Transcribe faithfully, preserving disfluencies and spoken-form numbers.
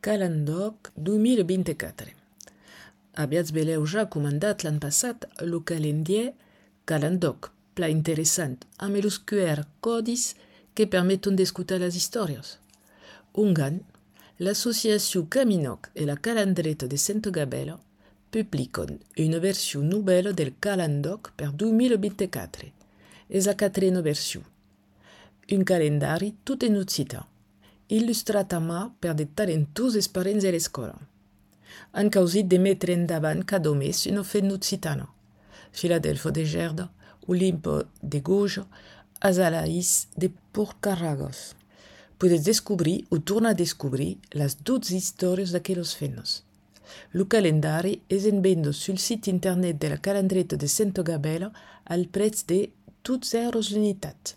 Calendoc dos mil vint-i-quatre. Aviats veleu ja comandat l'any passat el calendrier Calendoc, pla interessant, amb els Q R codis que permeten d'escoltar les històries. Ungan, l'associació Caminoc i la calendreta de Santa Gabela publiquen una versió nouvelle del Calendoc per dos mil vint-i-quatre. És la quatrena versió. Un calendari tot en occità, il·lustrat a mà per de talentosos parents de l'escola. Han causit de mettere endavant cada mes una festa occitana. Filadelfo de Gerda, Olimpo de Goja, Azalaïs de Porcarragos. Puedes descobrir o tornar a descobrir les dotze històries d'aquelles feines. El calendari és en venda sul site internet de la calendreta de Santa Gabela al preu de dotze euros l'unitat.